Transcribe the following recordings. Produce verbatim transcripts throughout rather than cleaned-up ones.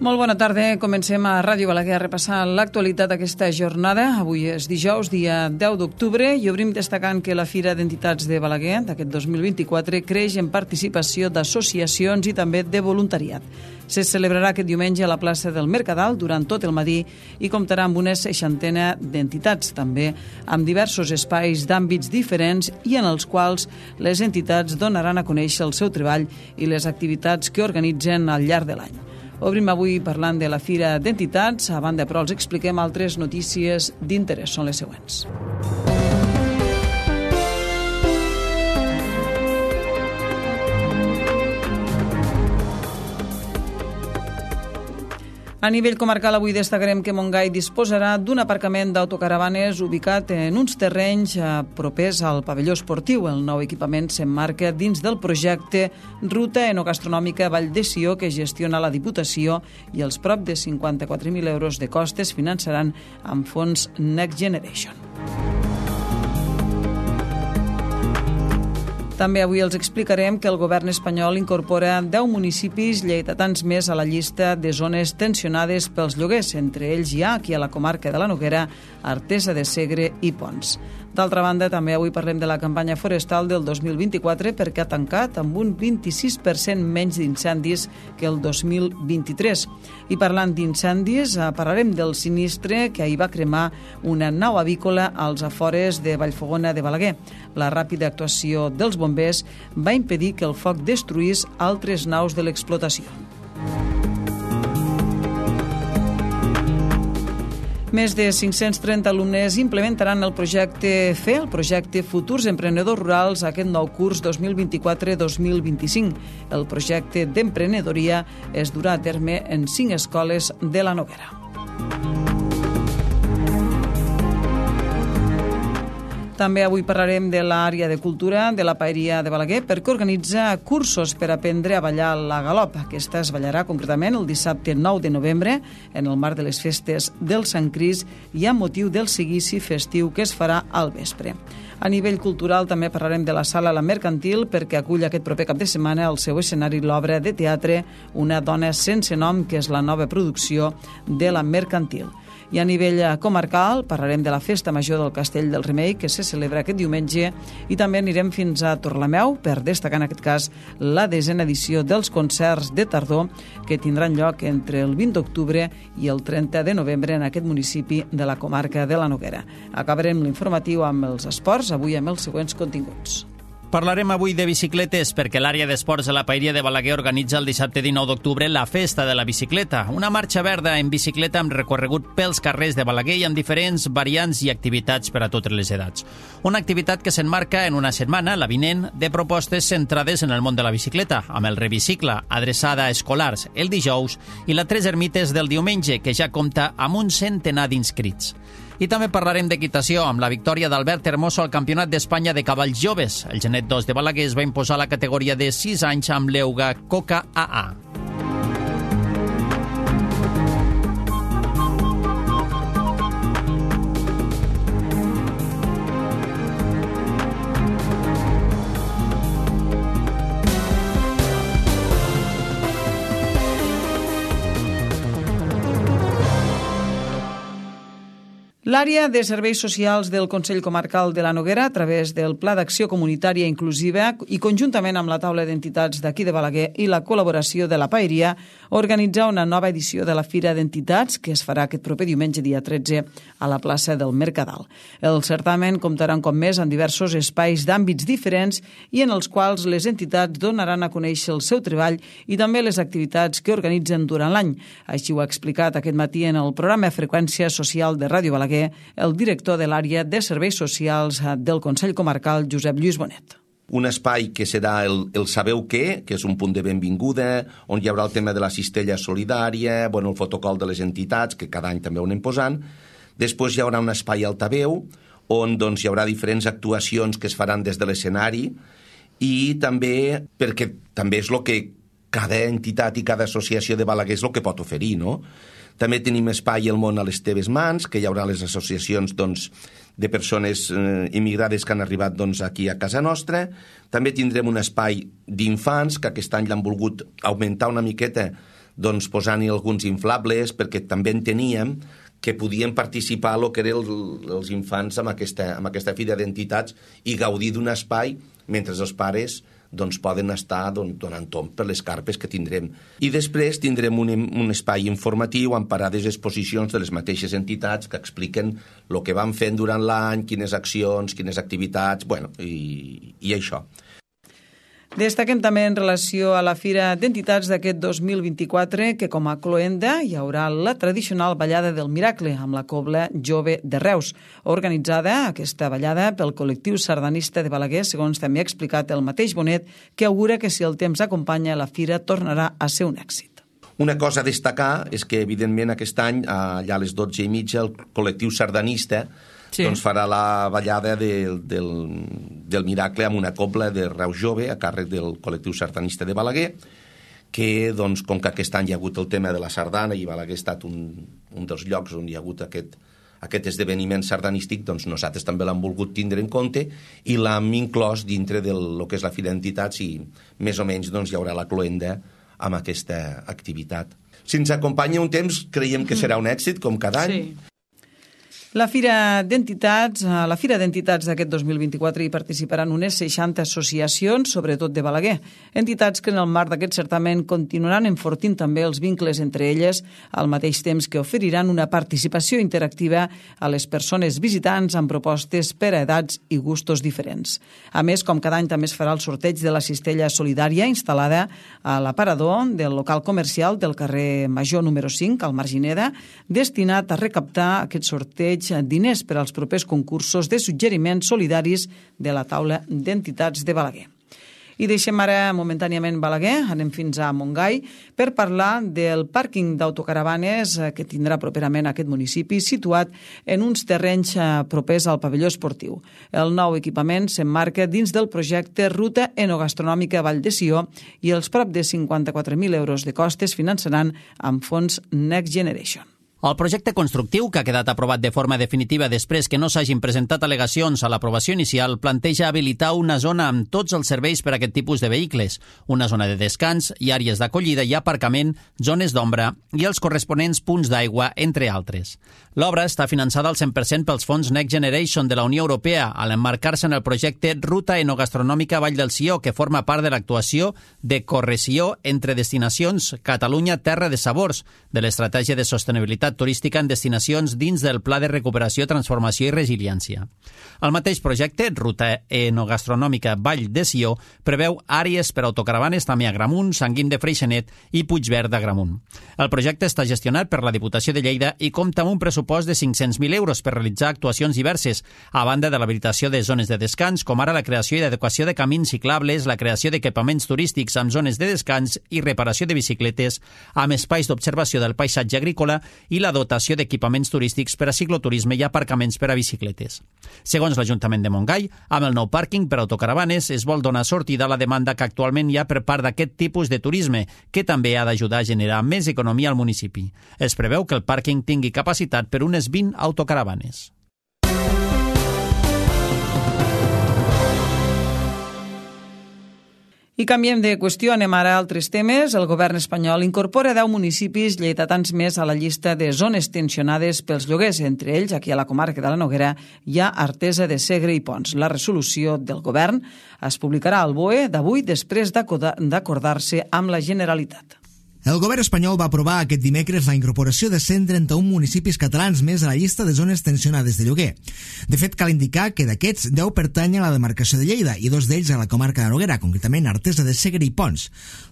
Molt bona tarda. Comencem a Ràdio Balaguer a repassar l'actualitat d'aquesta jornada. Avui és dijous, dia deu d'octubre, i obrim destacant que la Fira d'Entitats de Balaguer d'aquest dos mil vint-i-quatre creix en participació d'associacions i també de voluntariat. Se celebrarà aquest diumenge a la plaça del Mercadal durant tot el matí i comptarà amb una seixantena d'entitats, també amb diversos espais d'àmbits diferents i en els quals les entitats donaran a conèixer el seu treball i les activitats que organitzen al llarg de l'any. Obrim avui parlant de la Fira d'Entitats. A banda, però, els expliquem altres notícies d'interès. Són les següents. A nivell comarcal, avui destacarem que Montgai disposarà d'un aparcament d'autocaravanes ubicat en uns terrenys propers al pavelló esportiu. El nou equipament s'emmarca dins del projecte Ruta Enogastronòmica Vall de Sió, que gestiona la Diputació, i els prop de cinquanta-quatre mil euros de costes finançaran amb fons Next Generation. També avui els explicarem que el govern espanyol incorpora deu municipis lleidatans més a la llista de zones tensionades pels lloguers. Entre ells hi ha, aquí a la comarca de la Noguera, Artesa de Segre i Pons. D'altra banda, també avui parlem de la campanya forestal del dos mil vint-i-quatre, perquè ha tancat amb un vint-i-sis per cent menys d'incendis que el dos mil vint-i-tres. I parlant d'incendis, parlarem del sinistre que ahir va cremar una nau avícola als afores de Vallfogona de Balaguer. La ràpida actuació dels bombers va impedir que el foc destruís altres naus de l'explotació. Més de cinc-cents trenta alumnes implementaran el projecte F E, el projecte Futurs Emprenedors Rurals, aquest nou curs dos mil vint-i-quatre dos mil vint-i-cinc. El projecte d'emprenedoria es durà a terme en cinc escoles de la Noguera. També avui parlarem de l'àrea de cultura de la Paeria de Balaguer, perquè organitza cursos per aprendre a ballar la galop. Aquesta es ballarà concretament el dissabte nou de novembre en el marc de les festes del Sant Crist i amb motiu del seguici festiu que es farà al vespre. A nivell cultural també parlarem de la Sala La Mercantil, perquè acull aquest proper cap de setmana al seu escenari l'obra de teatre Una dona sense nom, que és la nova producció de La Mercantil. I a nivell comarcal parlarem de la Festa Major del Castell del Remei, que se celebra aquest diumenge, i també anirem fins a Torlameu per destacar en aquest cas la desena edició dels concerts de tardor que tindran lloc entre el vint d'octubre i el trenta de novembre en aquest municipi de la comarca de la Noguera. Acabarem l'informatiu amb els esports, avui amb els següents continguts. Parlarem avui de bicicletes perquè l'àrea d'esports de la Paeria de Balaguer organitza el dissabte dinou d'octubre la Festa de la Bicicleta, una marxa verda en bicicleta amb recorregut pels carrers de Balaguer i amb diferents variants i activitats per a totes les edats. Una activitat que s'enmarca en una setmana, la vinent, de propostes centrades en el món de la bicicleta, amb el Revicicle, adreçada a escolars, el dijous, i la Tres Ermites del diumenge, que ja compta amb un centenar d'inscrits. I també parlarem d'equitació, amb la victòria d'Albert Hermoso al Campionat d'Espanya de Cavalls Joves. El Genet dos de Balaguer es va imposar la categoria de sis anys amb l'Euga Coca A A. L'àrea de serveis socials del Consell Comarcal de la Noguera, a través del Pla d'Acció Comunitària Inclusiva i conjuntament amb la taula d'entitats d'aquí de Balaguer i la col·laboració de la Paeria, organitza una nova edició de la Fira d'Entitats que es farà aquest proper diumenge dia tretze a la plaça del Mercadal. El certamen comptarà un cop més amb diversos espais d'àmbits diferents i en els quals les entitats donaran a conèixer el seu treball i també les activitats que organitzen durant l'any. Així ho ha explicat aquest matí en el programa Freqüència Social de Ràdio Balaguer el director de l'àrea de serveis socials del Consell Comarcal, Josep Lluís Bonet. Un espai que serà el, el Sabeu Què, que és un punt de benvinguda, on hi haurà el tema de la cistella solidària, bueno, el fotocol de les entitats, que cada any també ho anem posant. Després hi haurà un espai altaveu, on doncs, hi haurà diferents actuacions que es faran des de l'escenari, i també, perquè també és el que cada entitat i cada associació de Balaguer és el que pot oferir, no? També tenim espai al món a les teves mans, que hi haurà les associacions doncs, de persones eh, immigrades que han arribat doncs, aquí a casa nostra. També tindrem un espai d'infants, que aquest any l'han volgut augmentar una miqueta doncs, posant-hi alguns inflables, perquè també enteníem que podien participar el que eren els infants amb aquesta, amb aquesta fira d'entitats i gaudir d'un espai mentre els pares doncs, poden estar doncs, donant tomb per les carpes que tindrem. I després tindrem un, un espai informatiu amb parades d'exposicions de les mateixes entitats que expliquen el que van fent durant l'any, quines accions, quines activitats, bueno, i, i això. Destaquem també en relació a la Fira d'Entitats d'aquest dos mil vint-i-quatre que com a cloenda hi haurà la tradicional ballada del Miracle amb la Cobla Jove de Reus, organitzada aquesta ballada pel col·lectiu sardanista de Balaguer, segons també ha explicat el mateix Bonet, que augura que si el temps acompanya la fira tornarà a ser un èxit. Una cosa a destacar és que, evidentment, aquest any, allà a les dotze i mitja, el col·lectiu sardanista sí. doncs farà la ballada del, del, del Miracle amb una cobla de Reus Jove a càrrec del col·lectiu sardanista de Balaguer, que, doncs, com que aquest any hi ha hagut el tema de la sardana i Balaguer ha estat un, un dels llocs on hi ha hagut aquest, aquest esdeveniment sardanístic, doncs nosaltres també l'hem volgut tindre en compte i l'hem inclòs dintre del que és la Fira d'Entitats i més o menys doncs, hi haurà la cloenda amb aquesta activitat. Si ens acompanya un temps, creiem que serà un èxit, com cada any. Sí. La Fira d'Entitats, a la Fira d'Entitats d'aquest dos mil vint-i-quatre hi participaran unes seixanta associacions, sobretot de Balaguer. Entitats que en el marc d'aquest certament continuaran enfortint també els vincles entre elles, al mateix temps que oferiran una participació interactiva a les persones visitants amb propostes per a edats i gustos diferents. A més, com cada any també es farà el sorteig de la cistella solidària instal·lada a l'aparador del local comercial del carrer Major número cinc, al Margineda, destinat a recaptar aquest sorteig diners per als propers concursos de suggeriments solidaris de la taula d'entitats de Balaguer. I deixem ara momentàniament Balaguer, anem fins a Montgai, per parlar del pàrquing d'autocaravanes que tindrà properament aquest municipi, situat en uns terrenys propers al pavelló esportiu. El nou equipament s'emmarca dins del projecte Ruta Enogastronòmica Vall de Sió i els prop de cinquanta-quatre mil euros de costes finançaran amb fons Next Generation. El projecte constructiu, que ha quedat aprovat de forma definitiva després que no s'hagin presentat al·legacions a l'aprovació inicial, planteja habilitar una zona amb tots els serveis per a aquest tipus de vehicles, una zona de descans i àrees d'acollida i aparcament, zones d'ombra i els corresponents punts d'aigua, entre altres. L'obra està finançada al cent per cent pels fons Next Generation de la Unió Europea, a l'emmarcar-se en el projecte Ruta Enogastronòmica Vall del Sió, que forma part de l'actuació de correció entre destinacions Catalunya Terra de Sabors, de l'estratègia de sostenibilitat turística en destinacions dins del Pla de Recuperació, Transformació i Resiliència. El mateix projecte, Ruta Enogastronòmica Vall de Sió, preveu àrees per autocaravanes també a Gramunt, Sant Guim de Freixenet i Puigverd d'Agramunt. El projecte està gestionat per la Diputació de Lleida i compta amb un pressupost de cinc-cents mil euros per realitzar actuacions diverses, a banda de l'habilitació de zones de descans, com ara la creació i adequació de camins ciclables, la creació d'equipaments turístics amb zones de descans i reparació de bicicletes, amb espais d'observació del paisatge agrícola i la dotació d'equipaments turístics per a cicloturisme i aparcaments per a bicicletes. Segons l'Ajuntament de Montgai, amb el nou pàrquing per autocaravanes es vol donar sortida a la demanda que actualment hi ha per part d'aquest tipus de turisme, que també ha d'ajudar a generar més economia al municipi. Es preveu que el pàrquing tingui capacitat per unes vint autocaravanes. I canviem de qüestió, anem ara a altres temes. El govern espanyol incorpora deu municipis lleidatans més a la llista de zones tensionades pels lloguers. Entre ells, aquí a la comarca de la Noguera, hi ha Artesa de Segre i Pons. La resolució del govern es publicarà al B O E d'avui després d'acordar-se amb la Generalitat. El govern espanyol va aprovar aquest dimecres la incorporació de cent trenta-un municipis catalans més a la llista de zones tensionades de lloguer. De fet, cal indicar que d'aquests deu pertanyen a la demarcació de Lleida i dos d'ells a la comarca de Noguera, concretament Artesa de Segre i Pons.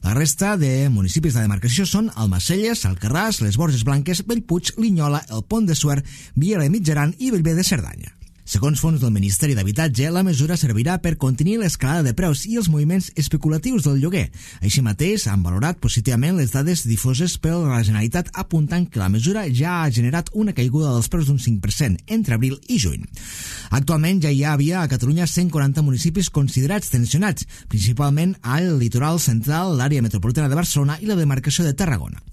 La resta de municipis de la demarcació són Almacelles, Alcarràs, les Borges Blanques, Bellpuig, Linyola, el Pont de Suert, Viera de Mitjaran i Bellver de Cerdanya. Segons fons del Ministeri d'Habitatge, la mesura servirà per contenir l'escalada de preus i els moviments especulatius del lloguer. Així mateix, han valorat positivament les dades difoses per la Generalitat, apuntant que la mesura ja ha generat una caiguda dels preus d'un cinc per cent entre abril i juny. Actualment ja hi havia a Catalunya cent quaranta municipis considerats tensionats, principalment al litoral central, l'àrea metropolitana de Barcelona i la demarcació de Tarragona.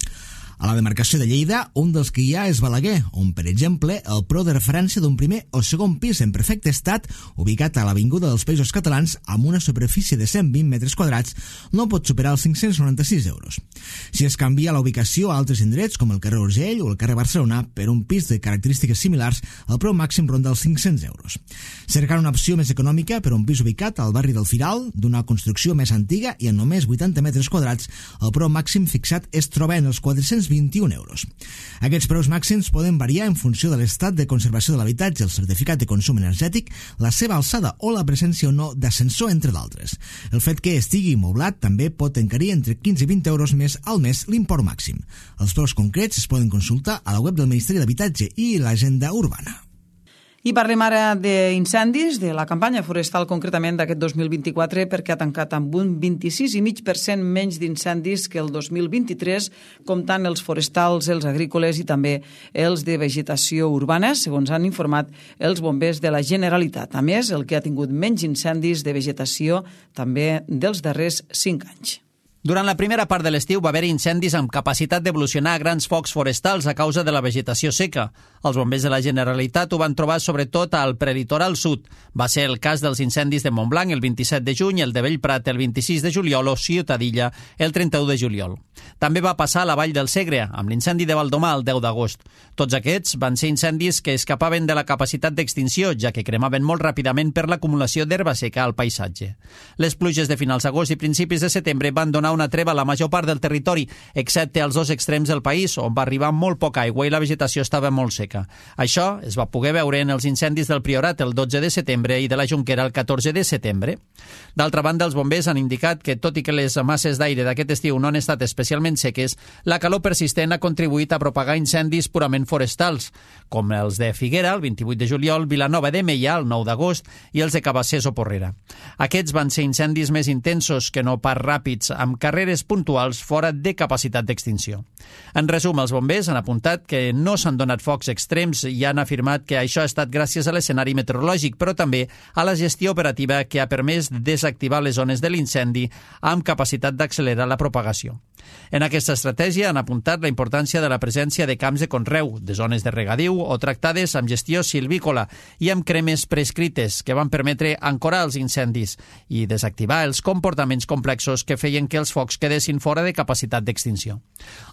A la demarcació de Lleida, un dels que hi ha és Balaguer, on, per exemple, el preu de referència d'un primer o segon pis en perfecte estat, ubicat a l'Avinguda dels Països Catalans, amb una superfície de cent vint metres quadrats, no pot superar els cinc-cents noranta-sis euros. Si es canvia la ubicació a altres indrets, com el carrer Urgell o el carrer Barcelona, per un pis de característiques similars, el preu màxim ronda els cinc-cents euros. Cercant una opció més econòmica per un pis ubicat al barri del Firal, d'una construcció més antiga i en només vuitanta metres quadrats, el preu màxim fixat es troba en els quatre-cents vint-i-un euros. Aquests preus màxims poden variar en funció de l'estat de conservació de l'habitatge, el certificat de consum energètic, la seva alçada o la presència o no d'ascensor, entre d'altres. El fet que estigui moblat també pot encarir entre quinze i vint euros més al mes l'import màxim. Els preus concrets es poden consultar a la web del Ministeri d'Habitatge i l'Agenda Urbana. I parlem ara d'incendis, de la campanya forestal concretament d'aquest dos mil vint-i-quatre, perquè ha tancat amb un vint-i-sis coma cinc per cent menys d'incendis que el dos mil vint-i-tres, comptant els forestals, els agrícoles i també els de vegetació urbana, segons han informat els bombers de la Generalitat. A més, el que ha tingut menys incendis de vegetació també dels darrers cinc anys. Durant la primera part de l'estiu va haver incendis amb capacitat d'evolucionar a grans focs forestals a causa de la vegetació seca. Els bombers de la Generalitat ho van trobar sobretot al prelitoral sud. Va ser el cas dels incendis de Montblanc el vint-i-set de juny, el de Bellprat el vint-i-sis de juliol o Ciutadilla el trenta-u de juliol. També va passar a la Vall del Segre, amb l'incendi de Valdomar el deu d'agost. Tots aquests van ser incendis que escapaven de la capacitat d'extinció, ja que cremaven molt ràpidament per l'acumulació d'herba seca al paisatge. Les pluges de finals d'agost i principis de setembre van donar una treva a la major part del territori, excepte als dos extrems del país, on va arribar molt poca aigua i la vegetació estava molt seca. Això es va poder veure en els incendis del Priorat el dotze de setembre i de la Jonquera el catorze de setembre. D'altra banda, els bombers han indicat que, tot i que les masses d'aire d'aquest estiu no han estat especialment seques, la calor persistent ha contribuït a propagar incendis purament forestals, com els de Figuera el vint-i-vuit de juliol, Vilanova de Meià el nou d'agost i els de Cabassers o Porrera. Aquests van ser incendis més intensos que no pas ràpids, amb carreres puntuals fora de capacitat d'extinció. En resum, els bombers han apuntat que no s'han donat focs extrems i han afirmat que això ha estat gràcies a l'escenari meteorològic, però també a la gestió operativa que ha permès desactivar les zones de l'incendi amb capacitat d'accelerar la propagació. En aquesta estratègia han apuntat la importància de la presència de camps de conreu, de zones de regadiu o tractades amb gestió silvícola i amb cremes prescrites que van permetre ancorar els incendis i desactivar els comportaments complexos que feien que els focs quedessin fora de capacitat d'extinció.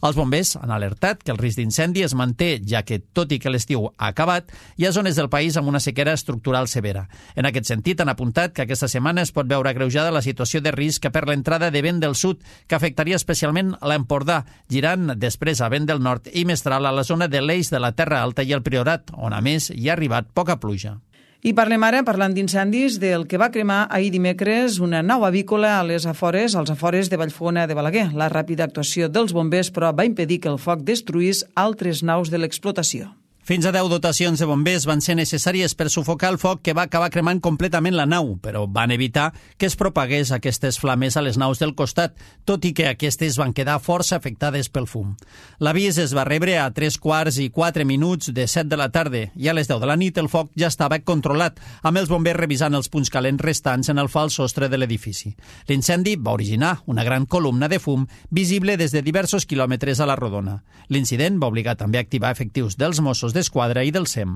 Els bombers han alertat que el risc d'incendi es manté, ja que, tot i que l'estiu ha acabat, hi ha zones del país amb una sequera estructural severa. En aquest sentit, han apuntat que aquesta setmana es pot veure agreujada la situació de risc per l'entrada de vent del sud, que afectaria especialment a l'Empordà, girant després a vent del nord i mestral a la zona de l'Eix de la Terra Alta i el Priorat, on a més hi ha arribat poca pluja. I parlem ara, parlant d'incendis, del que va cremar ahir dimecres una nau avícola a les afores, als afores de Vallfogona de Balaguer. La ràpida actuació dels bombers, però, va impedir que el foc destruís altres naus de l'explotació. Fins a deu dotacions de bombers van ser necessàries per sufocar el foc que va acabar cremant completament la nau, però van evitar que es propagués aquestes flames a les naus del costat, tot i que aquestes van quedar força afectades pel fum. L'avís es va rebre a tres quarts i quatre minuts de set de la tarda i a les deu de la nit el foc ja estava controlat, amb els bombers revisant els punts calents restants en el fals sostre de l'edifici. L'incendi va originar una gran columna de fum visible des de diversos quilòmetres a la rodona. L'incident va obligar també a activar efectius dels Mossos d'Esquadra i del S E M.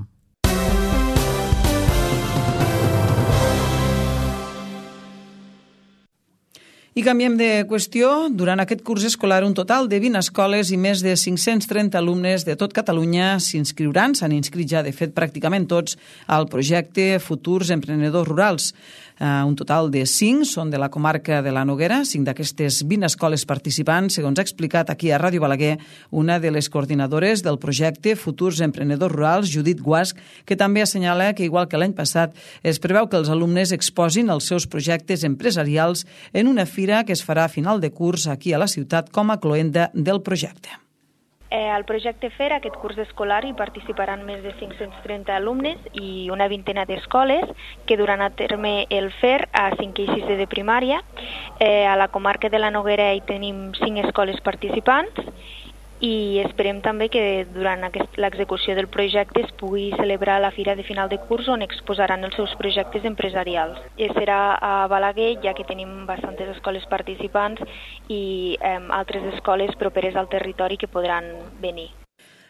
I canviem de qüestió. Durant aquest curs escolar, un total de vint escoles i més de cinc-cents trenta alumnes de tot Catalunya s'inscriuran, s'han inscrit ja, de fet, pràcticament tots, al projecte Futurs Emprenedors Rurals. Uh, un total de cinc són de la comarca de la Noguera, cinc d'aquestes vint escoles participants, segons ha explicat aquí a Ràdio Balaguer una de les coordinadores del projecte Futurs Emprenedors Rurals, Judit Guasc, que també assenyala que, igual que l'any passat, es preveu que els alumnes exposin els seus projectes empresarials en una fira que es farà a final de curs aquí a la ciutat com a cloenda del projecte. Eh, al projecte F E R, aquest curs escolar, hi participaran més de cinc-cents trenta alumnes i una vintena d'escoles que duran a terme el F E R a cinquè i sisè de primària. Eh, a la comarca de la Noguera hi tenim cinc escoles participants i esperem també que durant l'execució del projecte es pugui celebrar la fira de final de curs on exposaran els seus projectes empresarials. I serà a Balaguer, ja que tenim bastantes escoles participants i eh, altres escoles properes al territori que podran venir.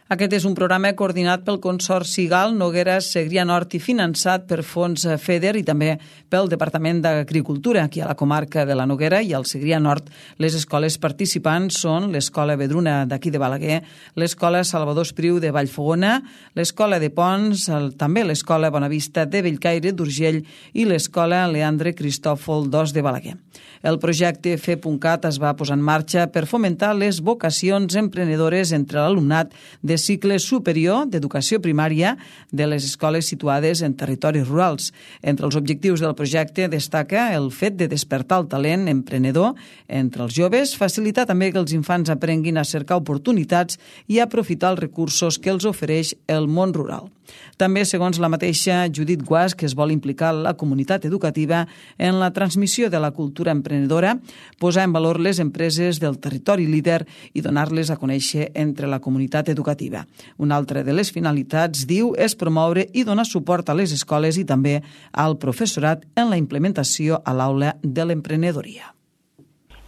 Aquest és un programa coordinat pel Consorci Gal Noguera Segrià Nord i finançat per fons FEDER i també pel Departament d'Agricultura. Aquí a la comarca de la Noguera i al Segrià Nord les escoles participants són l'Escola Vedruna d'aquí de Balaguer, l'Escola Salvador Espriu de Vallfogona, l'Escola de Pons, el, també l'Escola Bonavista de Bellcaire d'Urgell i l'Escola Leandre Cristòfol dos de Balaguer. El projecte Fe.cat es va posar en marxa per fomentar les vocacions emprenedores entre l'alumnat de cicle superior d'educació primària de les escoles situades en territoris rurals. Entre els objectius del projecte destaca el fet de despertar el talent emprenedor entre els joves, facilitar també que els infants aprenguin a cercar oportunitats i aprofitar els recursos que els ofereix el món rural. També, segons la mateixa Judit Guasch, que es vol implicar la comunitat educativa en la transmissió de la cultura emprenedora, posar en valor les empreses del territori líder i donar-les a conèixer entre la comunitat educativa. Una altra de les finalitats, diu, és promoure i donar suport a les escoles i també al professorat en la implementació a l'aula de l'emprenedoria.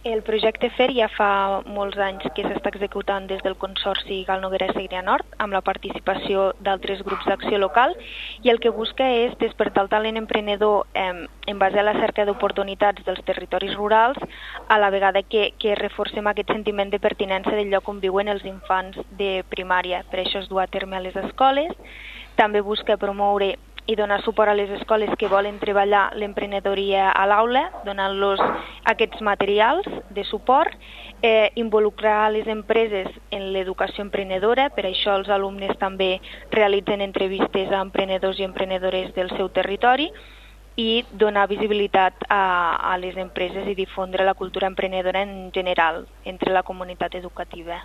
El projecte F E R ja fa molts anys que s'està executant des del Consorci Gal Noguera Segrià Nord amb la participació d'altres grups d'acció local i el que busca és despertar el talent emprenedor eh, en base a la cerca d'oportunitats dels territoris rurals a la vegada que, que reforcem aquest sentiment de pertinença del lloc on viuen els infants de primària. Per això es du a terme a les escoles. També busca promoure i donar suport a les escoles que volen treballar l'emprenedoria a l'aula, donant-los aquests materials de suport, eh, involucrar les empreses en l'educació emprenedora, per això els alumnes també realitzen entrevistes a emprenedors i emprenedores del seu territori i donar visibilitat a, a les empreses i difondre la cultura emprenedora en general entre la comunitat educativa.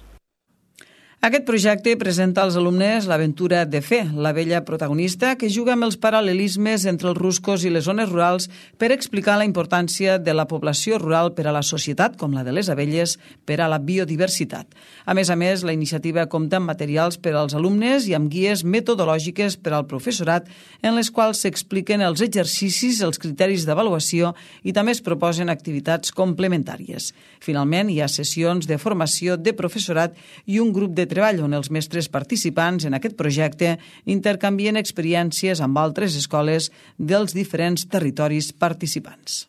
Aquest projecte presenta als alumnes l'aventura de Fe, la vella protagonista que juga amb els paral·lelismes entre els ruscos i les zones rurals per explicar la importància de la població rural per a la societat, com la de les abelles, per a la biodiversitat. A més a més, la iniciativa compta amb materials per als alumnes i amb guies metodològiques per al professorat en les quals s'expliquen els exercicis, els criteris d'avaluació i també es proposen activitats complementàries. Finalment, hi ha sessions de formació de professorat i un grup de treball on els mestres participants en aquest projecte intercanvien experiències amb altres escoles dels diferents territoris participants.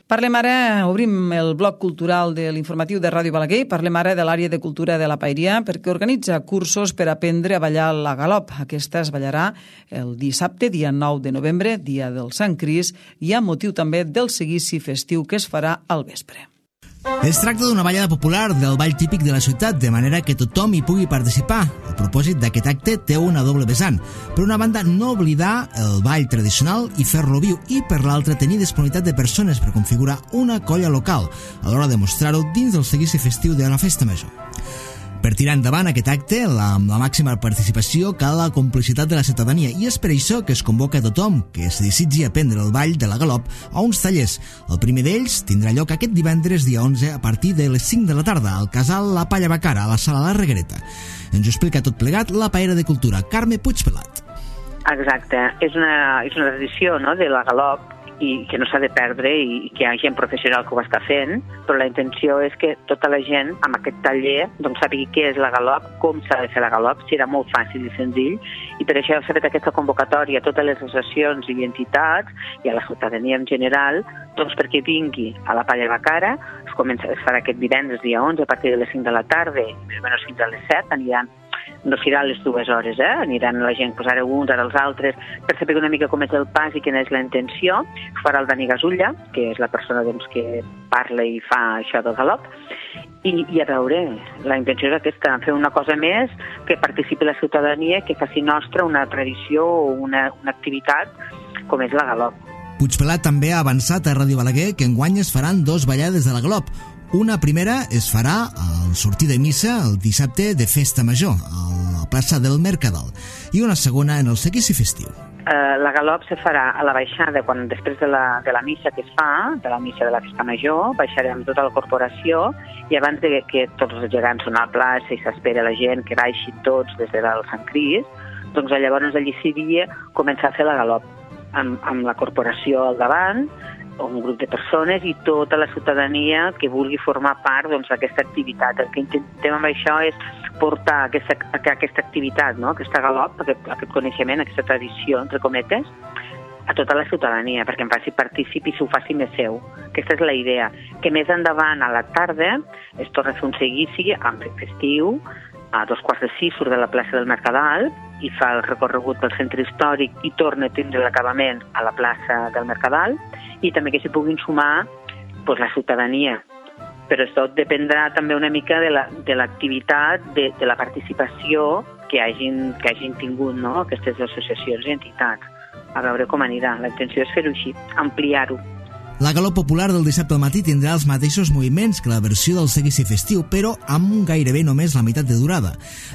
Parlem ara, obrim el bloc cultural de l'informatiu de Ràdio Balaguer, parlem ara de l'àrea de cultura de la Paeria perquè organitza cursos per aprendre a ballar la galop. Aquesta es ballarà el dissabte, dia nou de novembre, dia del Sant Crist, i amb motiu també del seguici festiu que es farà al vespre. Es tracta d'una ballada popular del ball típic de la ciutat, de manera que tothom hi pugui participar. El propòsit d'aquest acte té una doble vessant. Per una banda, no oblidar el ball tradicional i fer-lo viu, i per l'altra, tenir disponibilitat de persones per configurar una colla local a l'hora de mostrar-ho dins del seguici festiu de la Festa Major. Per tirar endavant aquest acte, la, amb la màxima participació, cal la complicitat de la ciutadania, i és per això que es convoca a tothom que es desitgi aprendre el ball de la galop a uns tallers. El primer d'ells tindrà lloc aquest divendres dia onze a partir de les cinc de la tarda al casal La Palla Bacara, a la sala La Reguereta. Ens ho explica tot plegat la paera de cultura, Carme Puigpelat. Exacte, és una, és una tradició, no?, de la galop, i que no s'ha de perdre i que hi ha gent professional que ho està fent, però la intenció és que tota la gent amb aquest taller doncs, sàpigui què és la galop, com s'ha de fer la galop, serà molt fàcil i senzill, i per això s'ha fet aquesta convocatòria a totes les associacions i entitats i a la ciutadania en general, doncs perquè vingui a la Palla Bacara. Es, comença, es farà aquest divendres dia onze a partir de les cinc de la tarda, més o menys fins a les set, aniran no serà les dues hores, eh? Aniran la gent, pues ara uns, ara els altres, per saber una mica com és el pas i quina és la intenció. Farà el Dani Gasulla, que és la persona doncs, que parla i fa això del galop, i, i a veure, la intenció és aquesta, fer una cosa més, que participi la ciutadania, que faci nostra una tradició o una, una activitat com és la galop. Puigpelat també ha avançat a Ràdio Balaguer que enguany es faran dos ballades de la galop. Una primera es farà al sortir de missa el dissabte de Festa Major, a la plaça del Mercadal, i una segona en el seguici festiu. eh, la galop se farà a la baixada, quan després de la, de la missa que es fa, de la missa de la festa major, baixarem tota la corporació i abans de que tots els gegants són a la plaça i s'espera la gent que baixi tots des de dalt Sant Crist, doncs llavors allí seria començar a fer la galop amb, amb la corporació al davant, un grup de persones i tota la ciutadania que vulgui formar part doncs, d'aquesta activitat. El que intentem amb això és portar aquesta, aquesta activitat, no? Aquesta galop, aquest, aquest coneixement, aquesta tradició, entre cometes, a tota la ciutadania, perquè en faci partícip i s'ho faci més seu. Aquesta és la idea. Que més endavant, a la tarda, es torna a fer un seguici amb festiu, a dos quarts de sis surt de la plaça del Mercadal i fa el recorregut pel centre històric i torna a tindre l'acabament a la plaça del Mercadal, i també que s'hi puguin sumar doncs, la ciutadania. Però això dependrà també una mica de l'activitat, la, de, de, de la participació que hagin, que hagin tingut, no? Aquestes associacions i entitats. A veure com anirà. La intenció és fer-ho així, ampliar-ho. La galop popular del dissabte al matí tindrà els mateixos moviments que la versió del seguici festiu, però amb gairebé només la meitat de durada.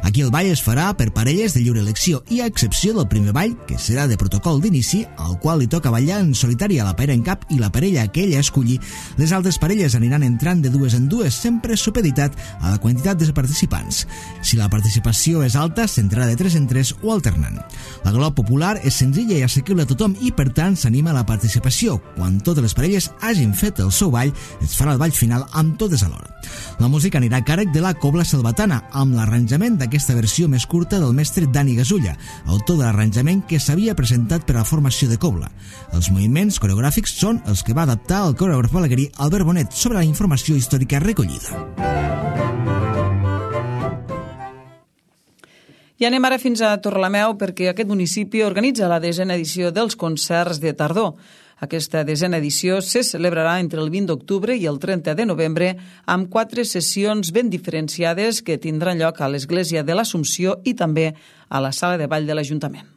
Aquí el ball es farà per parelles de lliure elecció i a excepció del primer ball, que serà de protocol d'inici, al qual li toca ballar en solitari a la parella en cap i la parella que ella escolli, les altres parelles aniran entrant de dues en dues, sempre supeditat a la quantitat de participants. Si la participació és alta, s'entrarà de tres en tres o alternant. La galop popular és senzilla i assequible a tothom i, per tant, s'anima a la participació. Quan totes les parelles hagin fet el seu ball, es farà el ball final amb totes alhora. La música anirà a càrrec de la Cobla Selvatana, amb l'arranjament d'aquesta versió més curta del mestre Dani Gasulla, autor de l'arranjament que s'havia presentat per a la formació de Cobla. Els moviments coreogràfics són els que va adaptar el coreògraf balaguerí Albert Bonet sobre la informació històrica recollida. I anem ara fins a Torrelameu perquè aquest municipi organitza la desena edició dels concerts de tardor. Aquesta desena edició se celebrarà entre el vint d'octubre i el trenta de novembre amb quatre sessions ben diferenciades que tindran lloc a l'Església de l'Assumpció i també a la Sala de Ball de l'Ajuntament.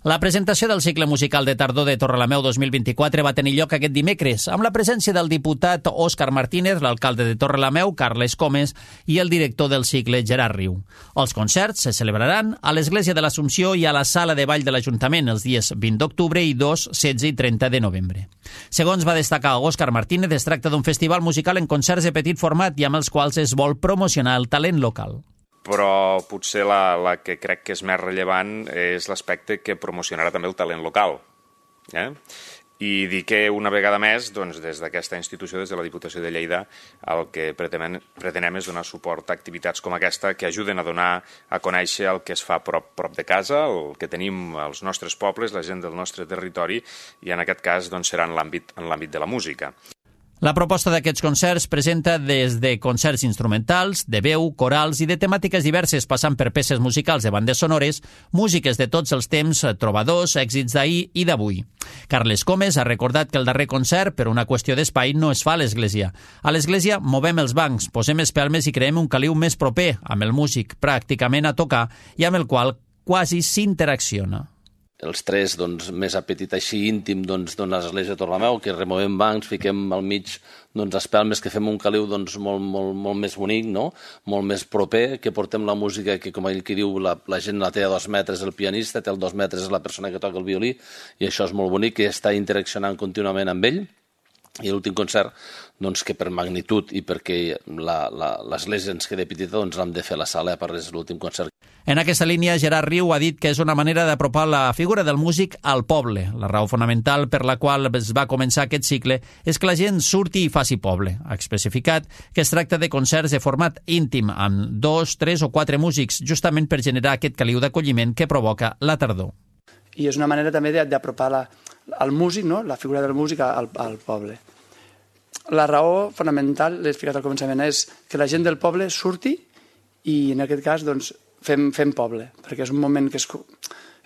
La presentació del cicle musical de tardor de Torrelameu dos mil vint-i-quatre va tenir lloc aquest dimecres, amb la presència del diputat Òscar Martínez, l'alcalde de Torrelameu, Carles Comes, i el director del cicle, Gerard Riu. Els concerts se celebraran a l'Església de l'Assumpció i a la Sala de Ball de l'Ajuntament els dies vint d'octubre i dos, setze i trenta de novembre. Segons va destacar Òscar Martínez, es tracta d'un festival musical en concerts de petit format i amb els quals es vol promocionar el talent local. Però potser la, la que crec que és més rellevant és l'aspecte que promocionarà també el talent local. Eh? I dir que una vegada més, doncs, des d'aquesta institució, des de la Diputació de Lleida, el que pretenem, pretenem és donar suport a activitats com aquesta que ajuden a donar a conèixer el que es fa prop, prop de casa, el que tenim als nostres pobles, la gent del nostre territori, i en aquest cas doncs, serà en l'àmbit en l'àmbit de la música. La proposta d'aquests concerts presenta des de concerts instrumentals, de veu, corals i de temàtiques diverses, passant per peces musicals de bandes sonores, músiques de tots els temps, trobadors, èxits d'ahir i d'avui. Carles Comes ha recordat que el darrer concert, per una qüestió d'espai, no es fa a l'església. A l'església movem els bancs, posem espelmes i creem un caliu més proper, amb el músic pràcticament a tocar i amb el qual quasi s'interacciona. Els tres, doncs, més apetit així íntim doncs, d'una església de Torrelameu, que removem bancs, fiquem al mig doncs, espelmes, que fem un caliu doncs, molt, molt, molt més bonic, no? Molt més proper, que portem la música que, com ell que diu, la, la gent la té a dos metres el pianista, té a dos metres la persona que toca el violí, i això és molt bonic, que està interaccionant contínuament amb ell. I l'últim concert, doncs, que per magnitud i perquè l'església ens queda petita, doncs l'hem de fer a la sala, a part és l'últim concert. En aquesta línia, Gerard Riu ha dit que és una manera d'apropar la figura del músic al poble. La raó fonamental per la qual es va començar aquest cicle és que la gent surti i faci poble. Ha especificat que es tracta de concerts de format íntim, amb dos, tres o quatre músics, justament per generar aquest caliu d'acolliment que provoca la tardor. I és una manera també d'apropar la, el músic, no? La figura del músic al, al poble. La raó fonamental, l'he explicat al començament, és que la gent del poble surti i en aquest cas doncs, fem, fem poble, perquè és un moment que és,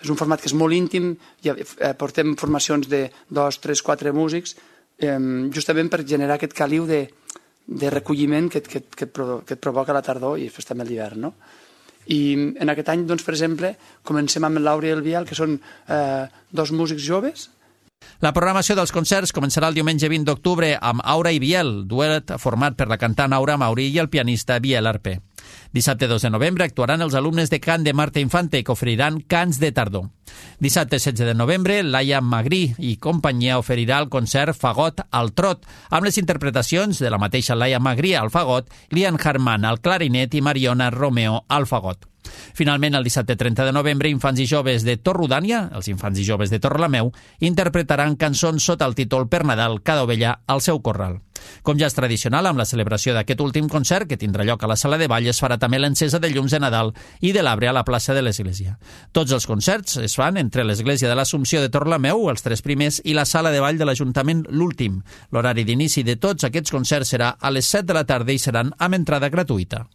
és un format que és molt íntim, ja portem formacions de dos, tres, quatre músics, eh, justament per generar aquest caliu de, de recolliment que, que, que, et provo que et provoca la tardor i després també l'hivern, no? I en aquest any, doncs, per exemple, comencem amb l'Aura i el Biel, que són eh, dos músics joves. La programació dels concerts començarà el diumenge vint d'octubre amb Aura i Biel, duet format per la cantant Aura Mauri i el pianista Biel Arpé. Dissabte dos de novembre actuaran els alumnes de cant de Marta Infante, que oferiran cants de tardor. Dissabte setze de novembre, Laia Magrí i companyia oferirà el concert Fagot al Trot, amb les interpretacions de la mateixa Laia Magrí al fagot, Lian Harman al clarinet i Mariona Romeo al fagot. Finalment, el dissabte trenta de novembre, infants i joves de Torrodània, els infants i joves de Torrelameu, interpretaran cançons sota el títol Per Nadal, cada ovella al seu corral. Com ja és tradicional, amb la celebració d'aquest últim concert, que tindrà lloc a la sala de ball, es farà també l'encesa de llums de Nadal i de l'arbre a la plaça de l'Església. Tots els concerts es fan entre l'Església de l'Assumpció de Torrelameu, els tres primers, i la sala de ball de l'Ajuntament, l'últim. L'horari d'inici de tots aquests concerts serà a les set de la tarda i seran amb entrada gratuïta.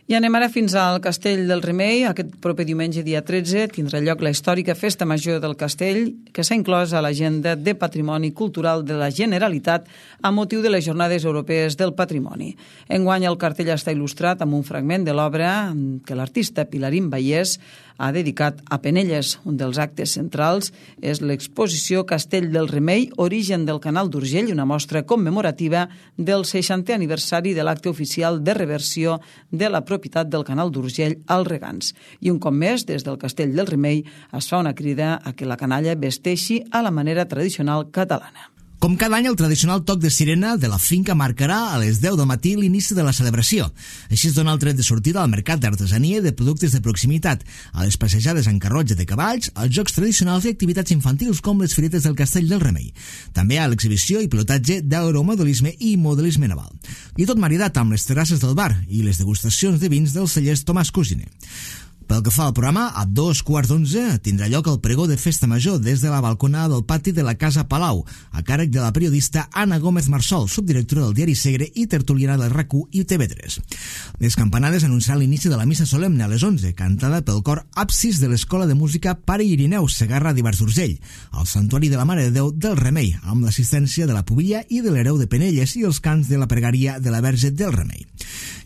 I anem ara fins al Castell del Remei. Aquest proper diumenge, dia tretze, tindrà lloc la històrica Festa Major del Castell, que s'ha inclòs a l'agenda de Patrimoni Cultural de la Generalitat a motiu de les Jornades Europees del Patrimoni. Enguany el cartell està il·lustrat amb un fragment de l'obra que l'artista Pilarín Vallès ha dedicat a Penelles. Un dels actes centrals és l'exposició Castell del Remei, origen del Canal d'Urgell, una mostra commemorativa del seixantè aniversari de l'acte oficial de reversió de la propietat del Canal d'Urgell als regants. I un cop més, des del Castell del Remei es fa una crida a que la canalla vesteixi a la manera tradicional catalana. Com cada any, el tradicional toc de sirena de la finca marcarà a les deu del matí l'inici de la celebració. Així es dona el tret de sortida al mercat d'artesania i de productes de proximitat, a les passejades en carrotge de cavalls, als jocs tradicionals i activitats infantils com les firetes del Castell del Remei. També a l'exhibició i pilotatge d'aeromodelisme i modelisme naval. I tot maridat amb les terrasses del bar i les degustacions de vins dels cellers Tomàs Cusiner. Pel que fa al programa, a dos quarts d'onze tindrà lloc el pregó de Festa Major des de la balconada del pati de la Casa Palau, a càrrec de la periodista Anna Gómez Marsol, subdirectora del diari Segre i tertuliana del RAC u i T V tres. Les campanades anunciaran l'inici de la missa solemne a les onze, cantada pel cor Absis de l'Escola de Música Pare Irineu Segarra d'Ibars d'Urgell, al Santuari de la Mare de Déu del Remei, amb l'assistència de la Pubilla i de l'Hereu de Penelles i els cants de la pregària de la Verge del Remei.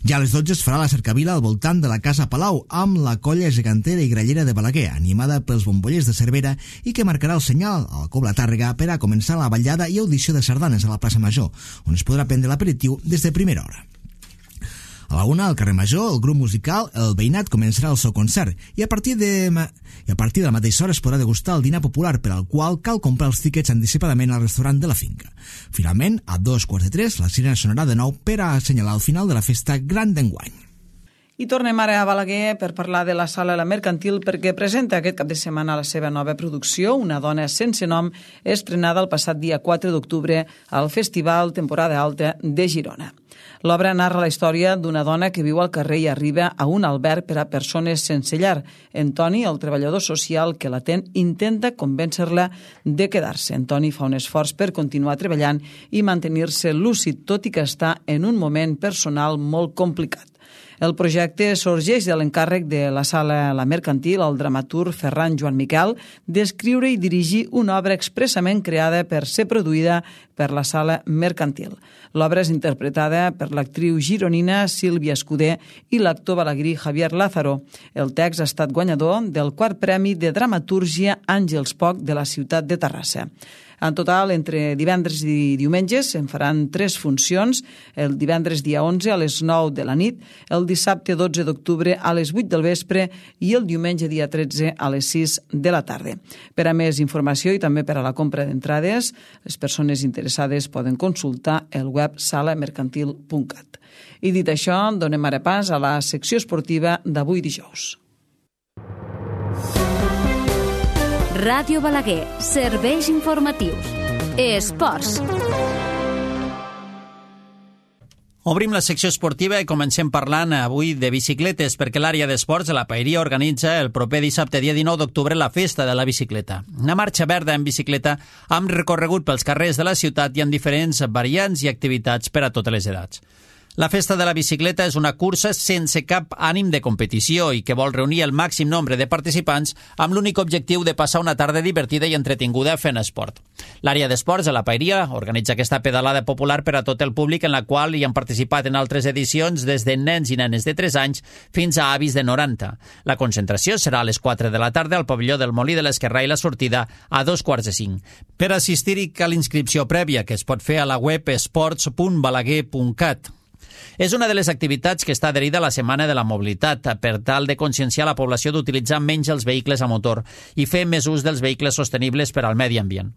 Ja a les dotze es farà la cercavila al voltant de la Casa Palau amb la colla gegantera i grallera de Balaguer, animada pels bombollers de Cervera i que marcarà el senyal a la Cobla Tàrrega per a començar la ballada i audició de sardanes a la plaça Major, on es podrà prendre l'aperitiu des de primera hora. A la una, al carrer Major, el grup musical El Veïnat començarà el seu concert i a partir de, i a partir de la mateixa hora es podrà degustar el dinar popular, per al qual cal comprar els tíquets anticipadament al restaurant de la finca. Finalment, a dos quarts de tres, la sirena sonarà de nou per a assenyalar el final de la festa gran d'enguany. I tornem ara a Balaguer per parlar de la Sala La Mercantil, perquè presenta aquest cap de setmana la seva nova producció, Una dona sense nom, estrenada el passat dia quatre d'octubre al Festival Temporada Alta de Girona. L'obra narra la història d'una dona que viu al carrer i arriba a un alberg per a persones sense llar. En Toni, el treballador social que l'atén, intenta convèncer-la de quedar-se. En Toni fa un esforç per continuar treballant i mantenir-se lúcid, tot i que està en un moment personal molt complicat. El projecte sorgeix de l'encàrrec de la Sala La Mercantil al dramaturg Ferran Joan Miquel d'escriure i dirigir una obra expressament creada per ser produïda per la Sala Mercantil. L'obra és interpretada per l'actriu gironina Sílvia Escudé i l'actor balaguerí Javier Lázaro. El text ha estat guanyador del quart Premi de Dramatúrgia Àngels Poch de la ciutat de Terrassa. En total, entre divendres i diumenges se'n faran tres funcions, el divendres dia onze a les nou de la nit, el dissabte dotze d'octubre a les vuit del vespre i el diumenge dia tretze a les sis de la tarda. Per a més informació i també per a la compra d'entrades, les persones interessades poden consultar el web sala mercantil punt cat. I dit això, donem ara pas a la secció esportiva d'avui dijous. Ràdio Balaguer, serveis informatius. Esports. Obrim la secció esportiva i comencem parlant avui de bicicletes, perquè l'àrea d'esports de la Paeria organitza el proper dissabte, dia dinou d'octubre, la Festa de la Bicicleta. Una marxa verda en bicicleta amb recorregut pels carrers de la ciutat i amb diferents variants i activitats per a totes les edats. La Festa de la Bicicleta és una cursa sense cap ànim de competició i que vol reunir el màxim nombre de participants amb l'únic objectiu de passar una tarda divertida i entretinguda fent esport. L'àrea d'esports de la Paeria organitza aquesta pedalada popular per a tot el públic, en la qual hi han participat en altres edicions des de nens i nenes de tres anys fins a avis de noranta. La concentració serà a les quatre de la tarda al pavelló del Molí de l'Esquerrà i la sortida a dos quarts de cinc. Per assistir-hi cal inscripció prèvia, que es pot fer a la web esports punt balaguer punt cat. És una de les activitats que està adherida a la Setmana de la Mobilitat per tal de conscienciar la població d'utilitzar menys els vehicles a motor i fer més ús dels vehicles sostenibles per al medi ambient.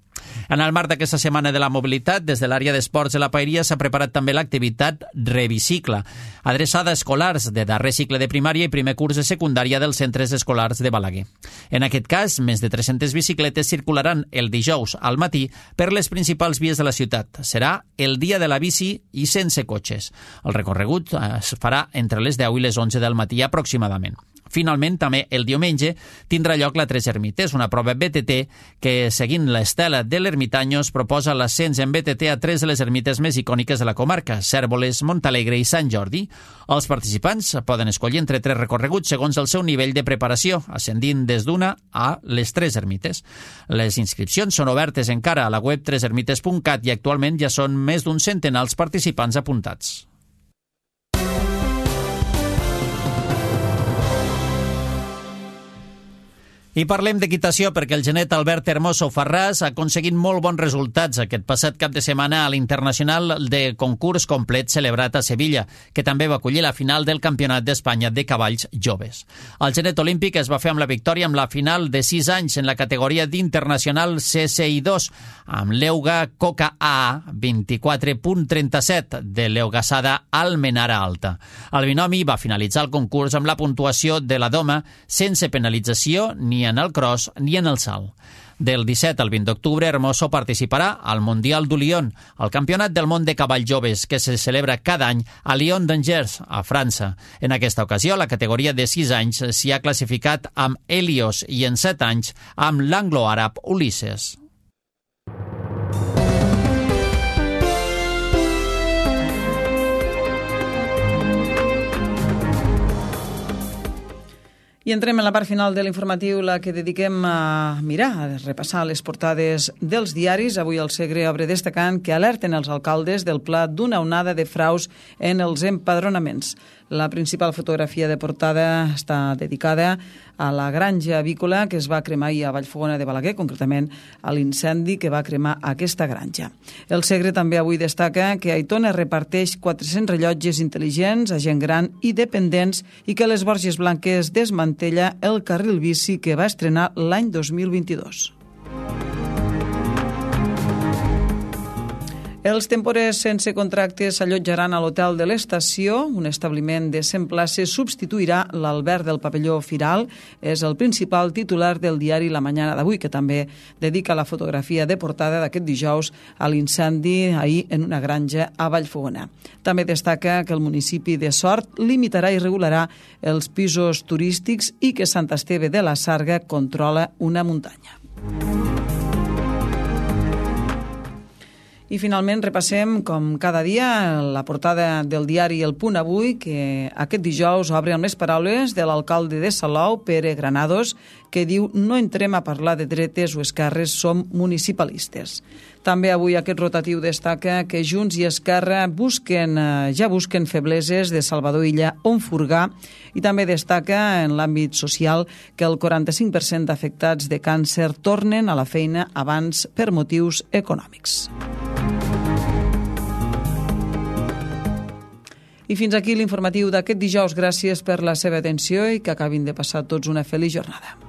En el marc d'aquesta Setmana de la Mobilitat, des de l'àrea d'esports de la Paeria s'ha preparat també l'activitat Rebicicla, adreçada a escolars de darrer cicle de primària i primer curs de secundària dels centres escolars de Balaguer. En aquest cas, més de tres-centes bicicletes circularan el dijous al matí per les principals vies de la ciutat. Serà el dia de la bici i sense cotxes. El recorregut es farà entre les deu i les onze del matí aproximadament. Finalment, també el diumenge tindrà lloc la Tres Ermites, una prova B T T que, seguint l'estela de l'Ermitanyos, proposa l'ascens en B T T a tres de les ermites més icòniques de la comarca, Cérvoles, Montalegre i Sant Jordi. Els participants poden escollir entre tres recorreguts segons el seu nivell de preparació, ascendint des d'una a les tres ermites. Les inscripcions són obertes encara a la web tres ermites punt cat i actualment ja són més d'un centenar els participants apuntats. I parlem d'equitació perquè el genet Albert Hermoso Farràs ha aconseguit molt bons resultats aquest passat cap de setmana a l'Internacional de concurs complet celebrat a Sevilla, que també va acollir la final del Campionat d'Espanya de cavalls joves. El genet olímpic es va fer amb la victòria amb la final de sis anys en la categoria d'Internacional C C I dos, amb l'Euga Coca A vint-i-quatre punt trenta-set de l'Eugasada Almenara Alta. El binomi va finalitzar el concurs amb la puntuació de la doma sense penalització ni en el cross ni en el salt. Del disset al vint d'octubre, Hermoso participarà al Mundial du Lion, el campionat del món de cavalls joves que se celebra cada any a Lyon d'Angers, a França. En aquesta ocasió, la categoria de sis anys s'hi ha classificat amb Helios i en set anys amb l'anglo-àrab Ulisses. I entrem en la part final de l'informatiu, la que dediquem a mirar, a repassar les portades dels diaris. Avui el Segre obre destacant que alerten els alcaldes del pla d'una onada de fraus en els empadronaments. La principal fotografia de portada està dedicada a la granja avícola que es va cremar ahir a Vallfogona de Balaguer, concretament a l'incendi que va cremar aquesta granja. El Segre també avui destaca que Aitona reparteix quatre-cents rellotges intel·ligents a gent gran i dependents i que les Borges Blanques desmantella el carril bici que va estrenar l'any dos mil vint-i-dos. Els temporers sense contracte s'allotjaran a l'Hotel de l'Estació. Un establiment de cent places substituirà l'Albert del Pavelló Firal. És el principal titular del diari La Mañana d'avui, que també dedica la fotografia de portada d'aquest dijous a l'incendi ahir en una granja a Vallfogona. També destaca que el municipi de Sort limitarà i regularà els pisos turístics i que Sant Esteve de la Sarga controla una muntanya. I finalment repassem, com cada dia, la portada del diari El Punt Avui, que aquest dijous obre amb les paraules de l'alcalde de Salou, Pere Granados, que diu: no entrem a parlar de dretes o esquerres, som municipalistes. També avui aquest rotatiu destaca que Junts i Esquerra busquen, ja busquen febleses de Salvador Illa on furgar, i també destaca en l'àmbit social que el quaranta-cinc per cent d'afectats de càncer tornen a la feina abans per motius econòmics. I fins aquí l'informatiu d'aquest dijous. Gràcies per la seva atenció i que acabin de passar tots una feliç jornada.